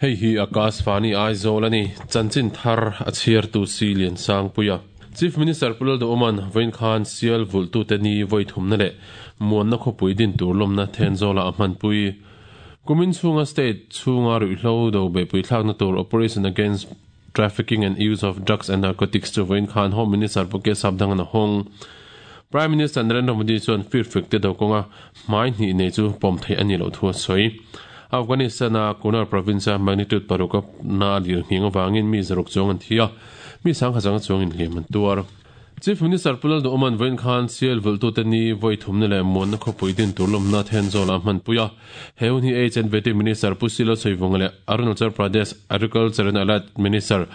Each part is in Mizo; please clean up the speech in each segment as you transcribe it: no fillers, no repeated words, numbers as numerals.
Hei hi Akashvani Aizawl a ni. Chanchin thar a chhiartu si Liansangpuia. Chief Minister Pu Lalduhawma'n vawiin khan sial vulhtute ni vawi thumna leh muanna khawpui din tur lawmna Thenzawlah a hmanpui. Kumin chhunga state chhunga ruihhlo do beihpui thlakna tur Operation Against Trafficking and Use of Drugs and Narcotics chu vawiin khan Home Minister Pu K Sapdangana hawng. Prime Minister Narendra Modi chuan firfek te do kawnga hmai hnih nei chu pawm theih a nih loh thu a sawi. Afghanistan-a Kunar province-a magnitude paruk a na lir nghing avangin mi zaruk chuang an thi a, mi sangkhat zanga chuangin hliam an tuar. Chief Minister Pu Lalduhawma'n vawiin khan sial vulhtute ni vawi thumna leh muanna khawpui din tur lawmna Thenzawl ah hmanpui a. He hun hi HNVT Minister Pu Silo Sawivawnga leh Arunachal Pradesh Agriculture and Allied Minister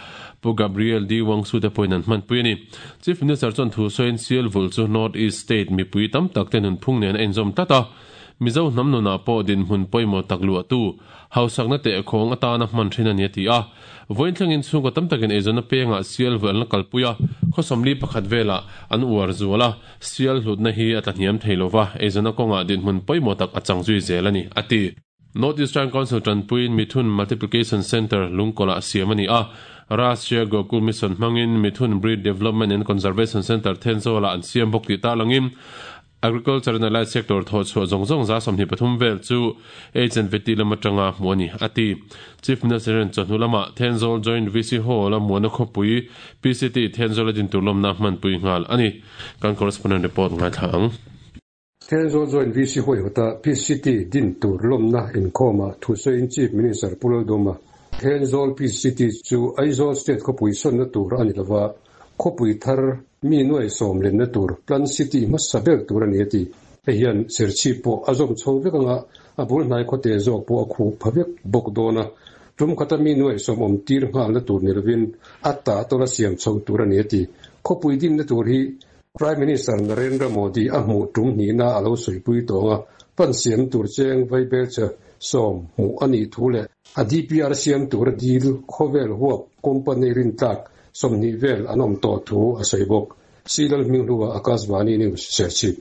Pu Gabriel D Wangsu te pawhin an hmanpui a ni. Chief Minister chuan thu sawiin sial vulh chu North East State mipui tam tak te nunphung nen a inzawm tlat a. Mizo hnam nunah pawh dinhmun pawimawh tak luahtu, hausakna tehkhawng atana hman thin a ni a ti a. Vawiin thlengin chhungkaw tam takin eizawnna pengah sial vuah an la kalpui a, khawsawmli pakhat velah an uar zual a, sial hlutna hi a tlahniam thei lo va, eizawnna kawngah dinhmun pawimawh tak a chang zui zel a ni, a ti. North Eastern Council tanpuiin Mithun Multiplication Centre lungkawlah siam a ni a, Rashtriya Gokul Mission hmangin Mithun Breed Development and Conservation Centre Thenzawlah an siam bawk tih tarlangin Agriculture and Allied Sector thawhchhuah zawng zawng 23 vel chu HNVT lam atanga hmuh a ni, a ti. Chief Minister hian chawhnu lamah Thenzawl Joint VC Hall-a muana khawpui PCT Thenzawl a din tur lawmna hmanpui nghal a ni. Kan correspondent report ngaithla ang. Thenzawl Joint VC huaihawta PCT din tur lawmna inkhawmah thusawiin Chief Minister Pu Lalduma, Thenzawl PCT chu Aizawl State khawpui sawnna tur a ni lova, Khawpui thar mi nuai sawm lenna tur Plan City hmasa ber tur a ni a ti. Hei hian Serchhip pawh a zawm chho vek anga a bul hnai khawte zawk pawh a khuh pha vek bawk dawn a. Tum khata mi nuai sawm awm tir nghalna tur ni lovin a ta tawla siam chho tur a ni a ti. Khawpui dinna tur hi Prime Minister Narendra Modi a hmuh tum hnihna a lo sawipui tawng a, pan siam tur cheng vaibelchhe sawm hmuh a nih thu leh a DPR siam tura dil khawvel huap company rintlak 20 vel an awm tawh thu a sawi bawk. Silal Hminghlua, Akashvani News, Serchhip.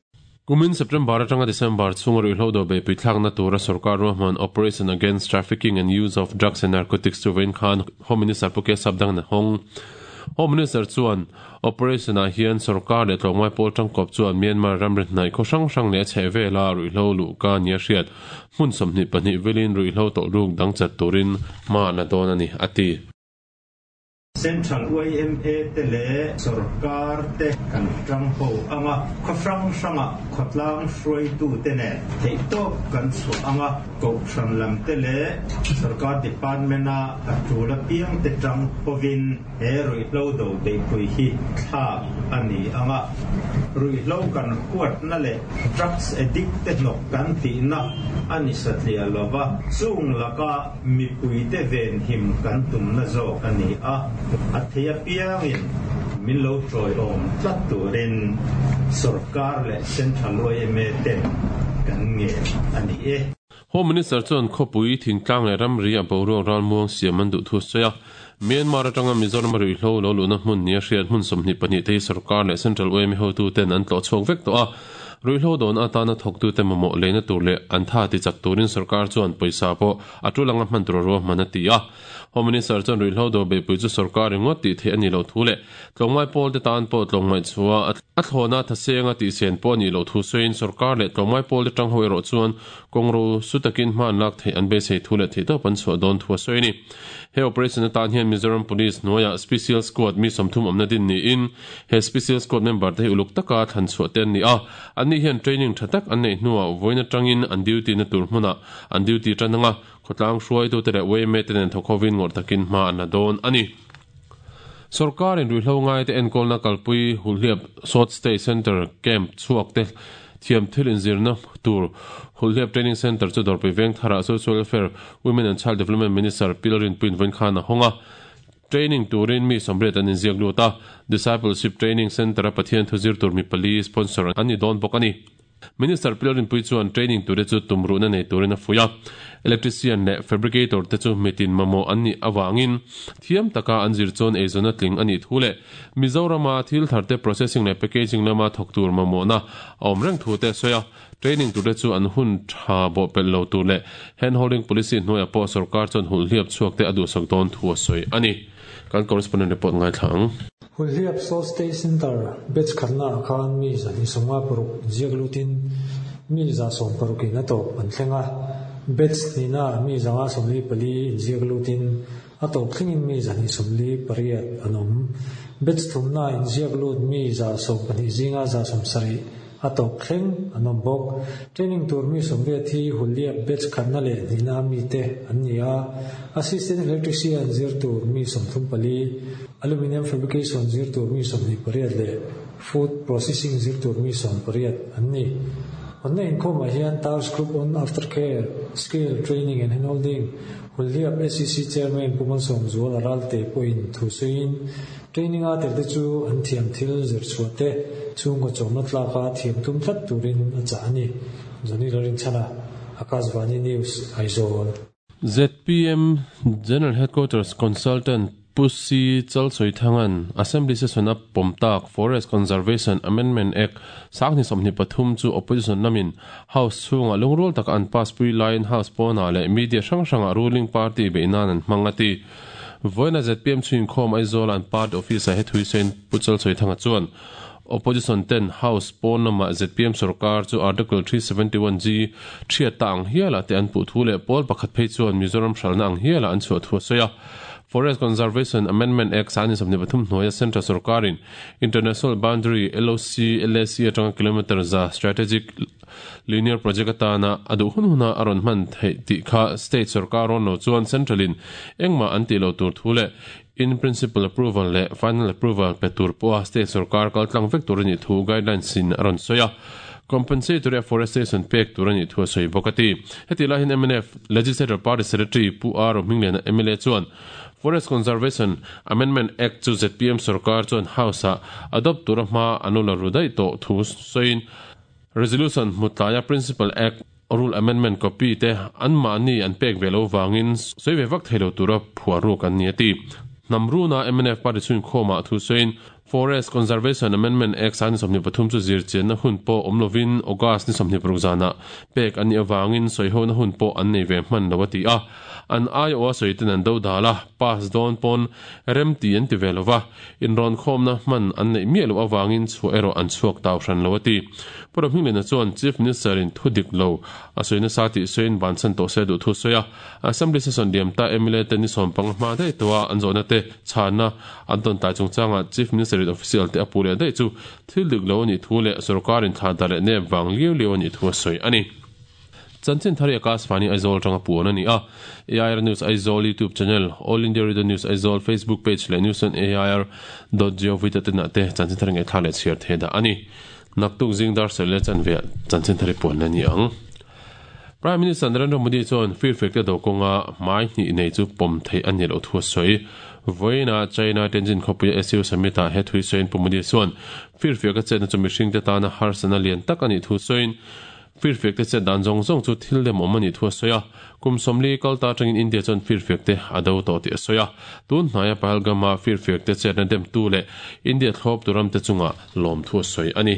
Kumin September atanga December chhunga ruihhlo do beihpui thlakna tura sorkar ruahman Operation Against Trafficking and Use of Drugs and Narcotics chu vawiin khan Home Minister Pu K Sapdang a hawng. Home Minister chuan Operation ah hian sorkar leh tlawmngai pawl tangkawp chuan Myanmar ramri hnaih khaw hrang hrang leh a chhehvela ruihhlo luhka nia hriat hmun 24 velin ruihhlo tawlhruk dang chat turin hma an la dawn a ni, a ti. Central yma te leh sorkar te kan tang ho ang a, khaw hrang hrangah khawtlang hruaitute nen theihtawp kan chhuah ang a, kohhran lam te leh sorkar department-a a tul apiang te tang hovin he ruihhlo do beihpui hi thlak a ni ang a. Ruihhlo kan huatna leh drugs addict te hnawk kan tihna a ni satliah lova, chung laka Mipuite venhim kan tumna zawk a ni a, a thei apiangin min lo tawiawm tlat turin sorkar leh Central yma ten kan ngen a ni e. Home Minister chuan khawpui, thingtlang leh ramri a boruak ralmuang siam an duh thu a sawi a. Myanmar atanga Mizoram a ruihhlo lo luhna hmun nia hriat hmun 22 te hi sorkar leh Central yma hotuten an tlawh chhuak vek tawh a. Ruihhlo dawn atana thawktute mamawh leina tur leh an tha tichak turin sorkar chuan pawisa pawh a tul anga hman tur a ruahman a ti a. Home Minister chuan ruihhlo dawr beihpui chu sorkar ringawt tih theih a nih loh thu leh tlawmngai pawlte tan pawh tlawmngaih chhuah a thlawna thasenga tihsen pawh a nih loh thu sawiin sorkar leh tlawmngai pawlte tang ho erawh chuan kawngro su takin hma an lak theih an beisei thu leh theihtawp an chhuah dawn thu a sawi a ni. He operation atan hian Mizoram Police hnuaiah Special Squad mi 30 awmna din niin He Special Squad member te hi uluk taka thlan chhuah te an ni a, anni hian training tha tak an neih hnuah vawiin atangin an duty na tur hmunah an duty tan anga khawtlang hruaitute leh yma te nen thawk hovin ngawrh takin hma an la dawn a ni. Sorkarin ruihhlo ngaite enkawlna kalpui Hulhliap Short Stay Centre camp chhuak te thiam thil inzirna tur Hulhliap Training Centre chu Dawrpui Vengtharah Social Welfare, Women and Child Development Minister Pi Lalrinpuiin vawiin khan a hawng a. Training turin mi 80 an inziak lut a, Discipleship Training Centre-a Pathian thu zir tur mi pali sponsor an ni dawn bawk a ni. Minister Pi Lalrinpuii chuan training ture chu tumruhna nei turin a fuih a, electrician leh fabricator te chu mitin mamawh an nih avangin thiam taka an zir chuan eizawnna tling a nih thu leh Mizorama thil tharte processing leh packaging lama thawk tur mamawhna a awm reng thu te a sawi a. Training turte chu an hun tha bawhpelh lo tur leh handholding policy hnuaiah pawh sorkar chuan hulhliap chhuak te a duhsak dawn thu a sawi a ni. Kan correspondent report ngaithla ang. Hulhliap Salt State Centre batch khatna ah khan mi 256 inziak lutin mi 160 in a tawp an thleng a, batch hnihna ah mi 144 inziak lutin a tawp thlengin mi 148 an awm. Batch thumna ah inziak lut mi 112 zinga 170 A tawp thleng an awm bawk. Training tur mi 80 hi Hulliap batch khatna leh hnihna mite an ni a, Assistant Electrician zir tur mi 34, Aluminium Fabrication zir tur mi 28 leh Food Processing zir tur mi 18 an ni. Hawnna inkhawmah hian Task Group on Aftercare, Skill Training and Handholding, Hulliap SEC Chairman Pu Malsawmzuala Ralte pawhin thu sawiin, Training a tel te chu an thiam thil zir chhuah te chhungkaw chawmna tlaka thiam tum tlat turin a chah a ni. Johnny Lalrinchhana, Akashvani News, Aizawl. Zpm General Headquarters Consultant Pu Si Chalchawithanga'n Assembly Session a pawm tak Forest Conservation Amendment Act 2023 chu Opposition lamin House chhungah lungrual taka an pass pui laiin House pawnah leh media hrang hrangah ruling party beih nan an hmang a ti. Vawiina zpm chhuinkhawm Aizawla an party office-ah he thuisawiin Pu Chalchawithanga chuan Opposition ten House pawn lamah zpm sorkar chu Article 371G thiat ta ang hialah te an puh thu leh pawl pakhat phei chuan Mizoram hralhna ang hialah an chhuah thu a sawi a. Forest Conservation Amendment Act 2023 hnuaia Central sorkarin International Boundary, LOC, LAC atanga kilometre za strategic Linear Project atana a duh hun huna a rawn hman theih tih kha State sorkar rawn lo chuan Central in engmah an tih lo tur thu leh In Principle Approval leh Final Approval pe tur pawha State sorkar kal tlang vek tur a nih thu guidelines in a rawn sawi a, Compensatory Afforestation pek tur a nih thu a sawi bawk a ti. Hetih lai hian mnf Legislature Party Secretary Pu R Rohmingliana mla chuan Forest Conservation Amendment Act chu zpm sorkar chuan House-ah adopt tura hma an lo la ru daih tawh thu sawiin Resolution hmu tlaia Principal Act Rule Amendment copy te anmahni an pek ve lo vangin sawi ve vak thei lo tura phuah ruk an ni a ti. Hnam runa mnf party chhunkhawmah thu sawiin Forest Conservation Amendment Act 2023 chu zirchianna hun pawh awm lovin August ni 26 zanah pek an nih avangin sawihona hun pawh an nei ve hman lo a ti a. An aiawha sawiten an do dal a, pass dawn pawn rem ti an ti ve lo va. Inrawnkhawmna hman an neih miah loh avangin chhuah erawh an chhuak tau hran lo a ti. Pu Rohmingliana chuan Chief Minister-in thu dik lo a sawi nasa tih sawiin bansan tawh se duh thu a sawi a. Assembly session liam ta mla te ni sawmpanga hma daih tawha an zawhna te chhanna an tawn tlai chungchangah Chief Minister-in official te a puh leh daih chu thil dik lo a nih thu leh sorkarin thla dar leh nep vang liau liau a nih thu a sawi a ni. Chanchin thar hi Akashvani Aizawl atanga puan a ni a. AIR News Aizawl YouTube channel, All India Radio News Aizawl Facebook page leh News on AIR dot gov dot in ah te chanchin thar ngaihthlak leh chhiar thei dah a ni. Naktuk zing dar sawi leh chanve ah chanchin thar hi puan la ni ang. Prime Minister Narendra Modi chuan firfek te do kawnga hmai hnih nei chu pawm theih a ni loh thu a sawi. Vawiinah China Tianjin khawpuia SU Summit ah he thui sawiin Pu Modi chuan firfiak a chetna chu mihringte tana harsatna lian tak a nih thu sawiin Firfiak te chet dan zawng zawng chu thil demawm a nih thu a sawi a, kum 40 kal ta atangin India chuan firfiak te a do tawh tih a sawi a. Tun hnaia Pahalgam-a firfiak te chetna demtu leh India thlawptu ramte chungah lawm thu a sawi a ni.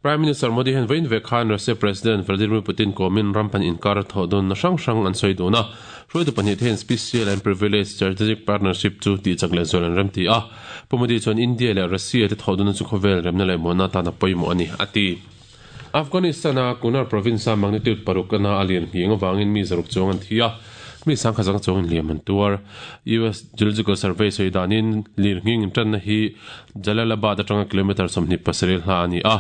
Prime Minister Modi hian vawiin vek khan Russia President Vladimir Putin kawmin ram pan inkar thawh dunna hrang hrang an sawi dun a. Hruaitu pahnih te hian Special and Privileged Strategic Partnership chu tihchak leh zual an remti a. Pu Modi chuan India leh Russia te thawh dunna chu khawvel remna leh muanna atan a pawimawh a ni, a ti. Afghanistan-a Kunar province-a magnitude paruk ana a lian nghing avangin mi zaruk chuang an thi a. Mi sangkhat zanga chuangin hliam an tuar. US Geological Survey sawi danin lirnghing intanna hi Jalalabad atanga kilometre 27 hla a ni a.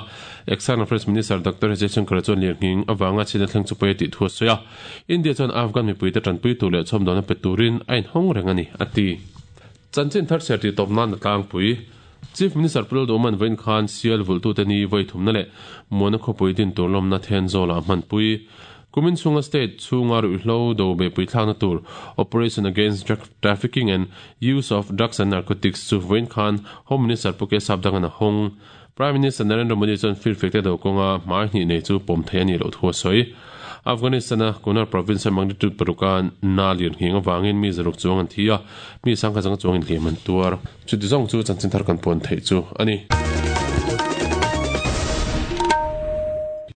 External Affairs Minister Doctor Jaishankar chuan lirnghing avanga chhina thleng chu pawi a tih thu a sawi a. India chuan Afghan mipuite tanpui tur leh chhawmdawhna pe turin a inhawng reng a ni, a ti. Chanchin thar chhiar tih tawp nan a tlangpui. Chief Minister Pu Lalduhman vawiin khan Sial vulhtute ni vawi thumna leh Muana khawpui din tur lawmna Thenzawlah a hmanpui. Kumin chhunga state chhunga ruihhlo do behpui thlakna tur Operation Against Drug Trafficking and Use of Drugs and Narcotics chu vawiin khan Home Minister Pu K Sapdangan a hawng. Prime Minister Narendra Modi chuan firfekte do kawnga hmai hnih nei chu pawm thei a nih loh thu a sawi. Afghanistan-a Kunar province-a magnitude paruka na lian nghing avangin mi zaruk chuang an thi a, mi sangkhat zanga chuangin hliam an tuar. Chuti zawng chu chanchin thar kan pawn theih chu a ni.